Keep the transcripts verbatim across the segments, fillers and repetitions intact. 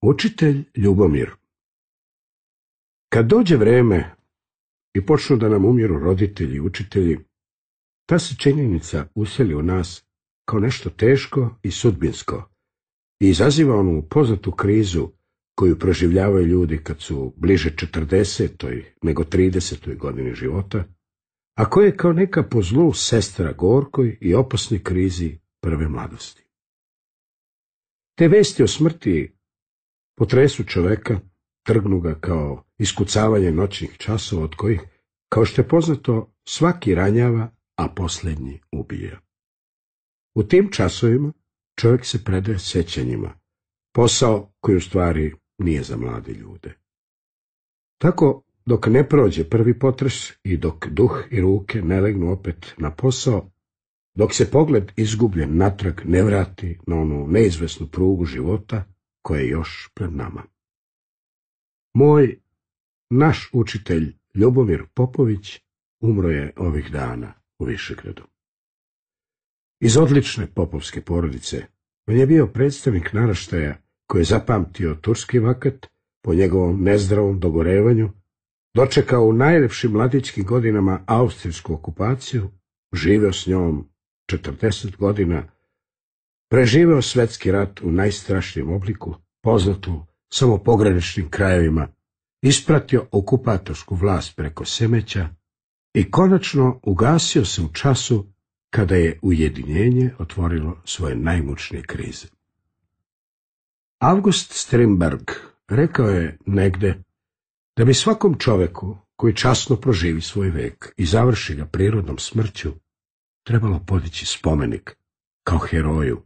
Učitelj Ljubomir. Kad dođe vreme i počnu da nam umiru roditelji i učitelji, ta se činjenica useli u nas kao nešto teško i sudbinsko i izaziva onu poznatu krizu koju proživljavaju ljudi kad su bliže četrdesetoj nego tridesetoj godini života, a koja je kao neka po zlu sestra gorkoj i opasnoj krizi prve mladosti. Te vesti o smrti potresu čoveka, trgnu ga kao iskucavanje noćnih časova od kojih, kao što je poznato, svaki ranjava, a posljednji ubija. U tim časovima čovjek se predaje sećanjima, posao koji u stvari nije za mlade ljude. Tako, dok ne prođe prvi potres i dok duh i ruke ne legnu opet na posao, dok se pogled izgubljen natrag ne vrati na onu neizvesnu prugu života koja je još pred nama. Moj, naš učitelj Ljubomir Popović umro je ovih dana u Višegradu. Iz odlične popovske porodice on je bio predstavnik naraštaja koji je zapamtio turski vakat po njegovom nezdravom dogorevanju, dočekao u najlepšim mladićkim godinama austrijsku okupaciju, živeo s njom četrdeset godina, preživeo svetski rat u najstrašnijem obliku, poznatu samo pograničnim krajevima, ispratio okupatorsku vlast preko Semeća i konačno ugasio se u času kada je ujedinjenje otvorilo svoje najmučnije krize. August Strindberg rekao je negde da bi svakom čoveku koji časno proživi svoj vek i završi ga prirodnom smrću trebalo podići spomenik kao heroju.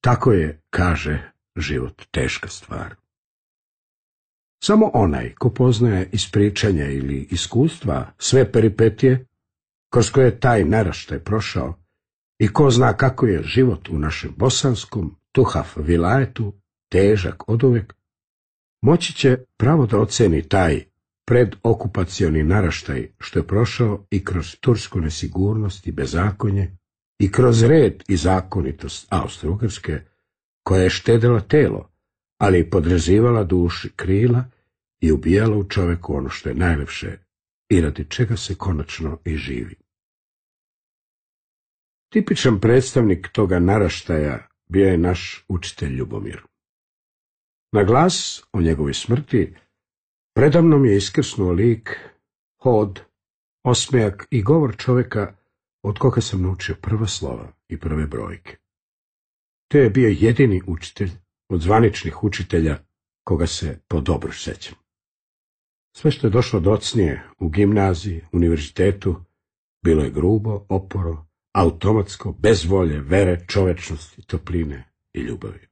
Tako je, kaže, život teška stvar. Samo onaj ko poznaje iz pričanja ili iskustva sve peripetije kroz koje je taj naraštaj prošao i ko zna kako je život u našem bosanskom Tuhaf vilajetu težak oduvek, moći će pravo da oceni taj predokupacioni naraštaj što je prošao i kroz tursku nesigurnost i bezakonje i kroz red i zakonitost Austro-Ugarske, koja je štedela telo, ali i podrezivala duši krila i ubijala u čoveku ono što je najlepše i radi čega se konačno i živi. Tipičan predstavnik toga naraštaja bio je naš učitelj Ljubomir. Na glas o njegovoj smrti predamnom je iskrsnuo lik, hod, osmejak i govor čovjeka od koga sam naučio prva slova i prve brojke. To je bio jedini učitelj od zvaničnih učitelja koga se po dobro sećam. Sve što je došlo docnije u gimnaziji, univerzitetu, bilo je grubo, oporo, automatsko, bez volje, vere, čovečnosti, topline i ljubavi.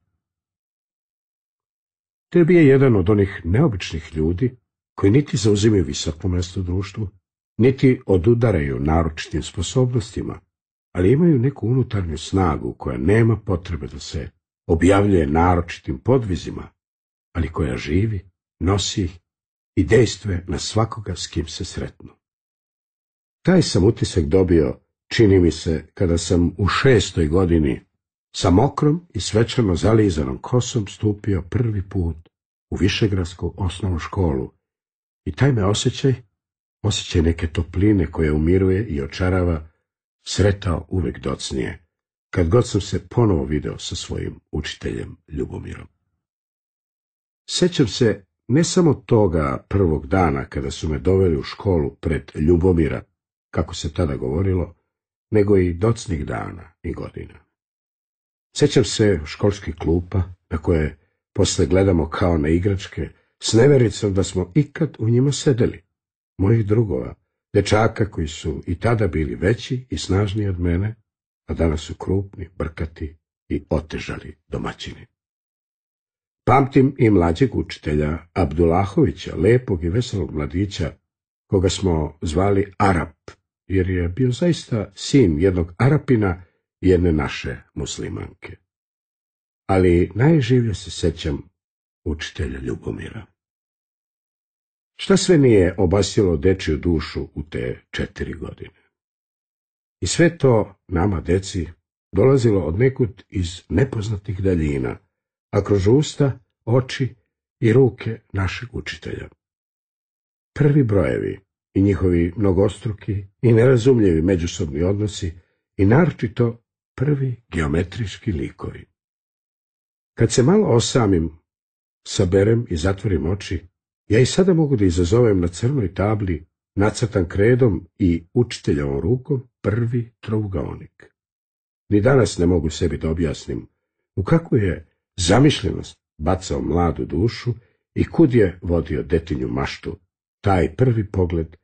To je bio jedan od onih neobičnih ljudi koji niti zauzimaju visoko mjesto u društvu, niti odudaraju naročitim sposobnostima, ali imaju neku unutarnju snagu koja nema potrebe da se objavljuje naročitim podvizima, ali koja živi, nosi ih i dejstvuje na svakoga s kim se sretnu. Taj sam utisak dobio, čini mi se, kada sam u šestoj godini sa mokrom i svečano zalizanom kosom stupio prvi put u Višegradsku osnovnu školu i taj me osjećaj, osjećaj neke topline koja umiruje i očarava, sretao uvek docnije, kad god sam se ponovo video sa svojim učiteljem Ljubomirom. Sećam se ne samo toga prvog dana kada su me doveli u školu pred Ljubomira, kako se tada govorilo, nego i docnih dana i godina. Sećam se školskih klupa na koje posle gledamo kao na igračke, s nevericom da smo ikad u njima sedeli, mojih drugova, dečaka koji su i tada bili veći i snažniji od mene, a danas su krupni, brkati i otežali domaćini. Pamtim i mlađeg učitelja Abdulahovića, lepog i veselog mladića, koga smo zvali Arap, jer je bio zaista sin jednog Arapina i jedne naše muslimanke. Ali najživlje se sećam učitelja Ljubomira. Šta sve nije obasjalo dečiju dušu u te četiri godine? I sve to nama, deci, dolazilo od nekud iz nepoznatih daljina, a kroz usta, oči i ruke našeg učitelja. Prvi brojevi i njihovi mnogostruki i nerazumljivi međusobni odnosi i naročito prvi geometrijski likovi. Kad se malo osamim, saberem i zatvorim oči, ja i sada mogu da izazovem na crnoj tabli, nacrtan kredom i učiteljevom rukom, prvi trougaonik. Ni danas ne mogu sebi da objasnim u kakvu je zamišljenost bacao mladu dušu i kud je vodio detinju maštu, taj prvi pogled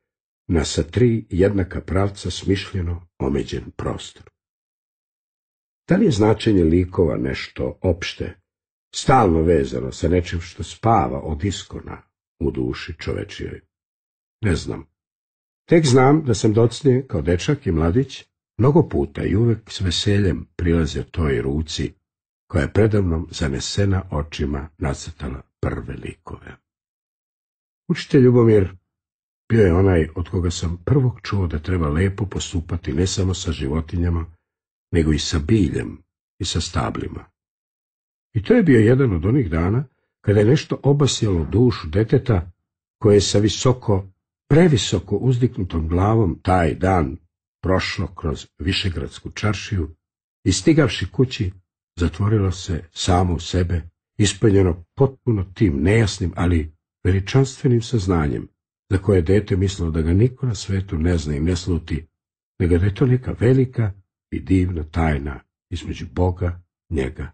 na sa tri jednaka pravca smišljeno omeđen prostor. Da li je značenje likova nešto opšte, stalno vezano sa nečim što spava od iskona u duši čovečijoj? Ne znam. Tek znam da sam docnije, kao dečak i mladić, mnogo puta i uvek s veseljem prilazio toj ruci koja je predamnom zanesena očima nacrtala prve likove. Učitelj Ljubomir bio je onaj od koga sam prvog čuo da treba lepo postupati ne samo sa životinjama, nego i sa biljem i sa stablima. I to je bio jedan od onih dana kada je nešto obasjalo dušu deteta koje je sa visoko, previsoko uzdignutom glavom taj dan prošlo kroz Višegradsku čaršiju i stigavši kući zatvorilo se samo u sebe, ispunjeno potpuno tim nejasnim, ali veličanstvenim saznanjem, za koje dete mislilo da ga niko na svetu ne zna i ne sluti, nego da je to neka velika i divna tajna između Boga, njega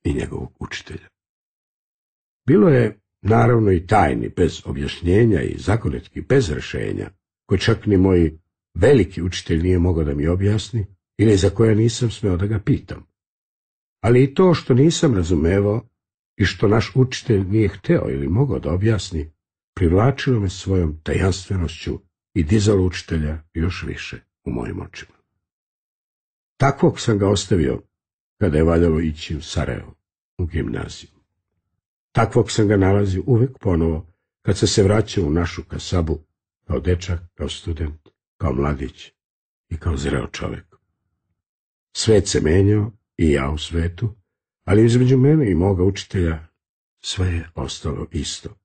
i njegovog učitelja. Bilo je naravno i tajni bez objašnjenja i zagonetki bez rešenja, koje čak ni moj veliki učitelj nije mogao da mi objasni ili za koje nisam smeo da ga pitam. Ali i to što nisam razumevao i što naš učitelj nije hteo ili mogao da objasni, privlačilo me svojom tajanstvenošću i dizalo učitelja još više u mojim očima. Takvog sam ga ostavio kada je valjalo ići u Sarajevo, u gimnaziju. Takvog sam ga nalazio uvek ponovo kad se se vraćao u našu kasabu, kao dečak, kao student, kao mladić i kao zreo čovek. Svet se menjao i ja u svetu, ali između mene i moga učitelja sve je ostalo isto.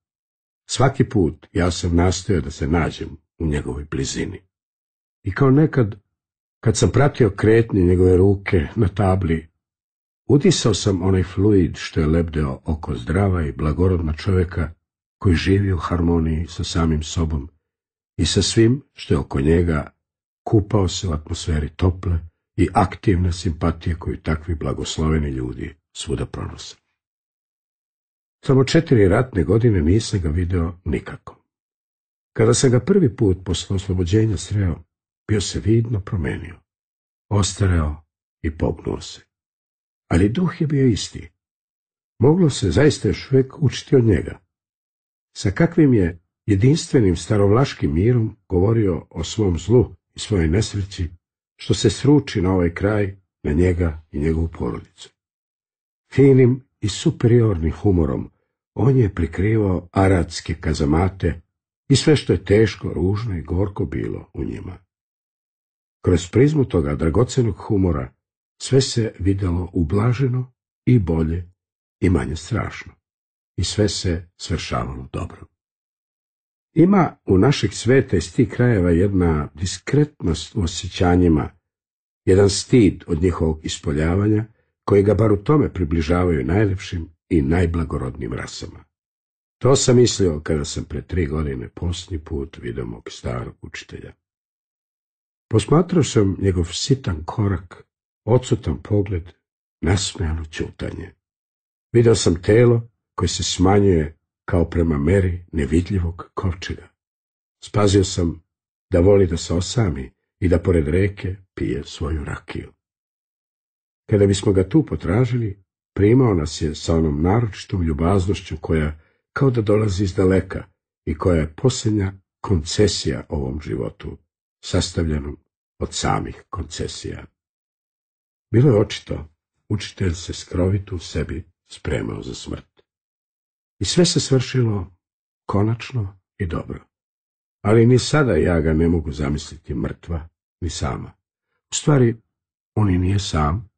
Svaki put ja sam nastojao da se nađem u njegovoj blizini. I kao nekad, kad sam pratio kretnje njegove ruke na tabli, udisao sam onaj fluid što je lebdeo oko zdrava i blagorodna čoveka koji živi u harmoniji sa samim sobom i sa svim što je oko njega, kupao se u atmosferi tople i aktivne simpatije koju takvi blagosloveni ljudi svuda pronose. Samo četiri ratne godine nisam ga video nikako. Kada sam ga prvi put posle oslobođenja sreo, bio se vidno promenio, ostareo i pognuo se. Ali duh je bio isti. Moglo se zaista još uvijek učiti od njega. Sa kakvim je jedinstvenim starovlaškim mirom govorio o svom zlu i svojoj nesreći, što se sruči na ovaj kraj, na njega i njegovu porodicu. Finim i superiornim humorom on je prikrivao aratske kazamate i sve što je teško, ružno i gorko bilo u njima. Kroz prizmu toga dragocenog humora sve se videlo ublaženo i bolje i manje strašno. I sve se svršavalo dobro. Ima u našeg sveta iz tih krajeva jedna diskretnost u osjećanjima, jedan stid od njihovog ispoljavanja, koji ga bar u tome približavaju najlepšim i najblagorodnim rasama. To sam mislio kada sam pre tri godine posljednji put vidio mog starog učitelja. Posmatrao sam njegov sitan korak, odsutan pogled, nasmejano ćutanje. Video sam telo koje se smanjuje kao prema meri nevidljivog kovčega. Spazio sam da voli da se osami i da pored reke pije svoju rakiju. Kada bismo ga tu potražili, primao nas je sa onom naročitom ljubaznošću koja kao da dolazi iz daleka i koja je posljednja koncesija ovom životu, sastavljenom od samih koncesija. Bilo je očito, učitelj se skrovito u sebi spremao za smrt. I sve se svršilo konačno i dobro. Ali ni sada ja ga ne mogu zamisliti mrtva, ni sama. U stvari, on i nije sam,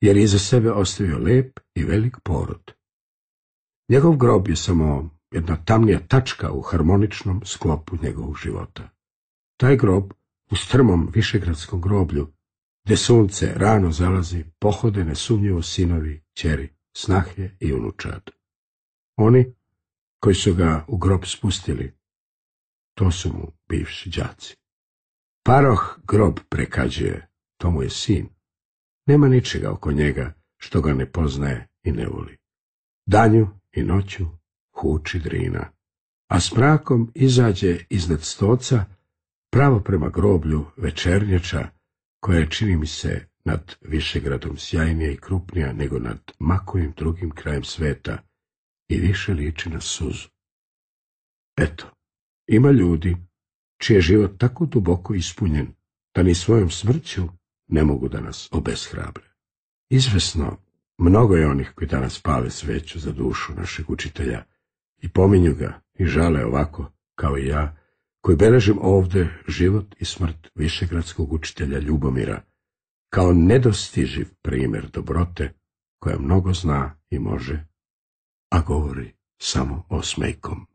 jer je iza sebe ostavio lep i velik porod. Njegov grob je samo jedna tamnija tačka u harmoničnom sklopu njegovog života. Taj grob u strmom višegradskom groblju, gde sunce rano zalazi, pohode nesumnjivo sinovi, ćeri, snahe i unučad. Oni koji su ga u grob spustili, to su mu bivši đaci. Paroh grob prekađuje, to mu je sin. Nema ničega oko njega što ga ne poznaje i ne voli. Danju i noću huči drina, a s mrakom izađe iznad stoca pravo prema groblju večernjača, koja je, čini mi se, nad Višegradom sjajnija i krupnija nego nad makojim drugim krajem sveta i više liči na suzu. Eto, ima ljudi čiji je život tako duboko ispunjen da ni svojom smrću ne mogu da nas obeshrabre. Izvesno, mnogo je onih koji danas pale sveću za dušu našeg učitelja i pominju ga i žale ovako, kao i ja, koji beležim ovde život i smrt višegradskog učitelja Ljubomira, kao nedostiživ primjer dobrote koja mnogo zna i može, a govori samo osmejkom.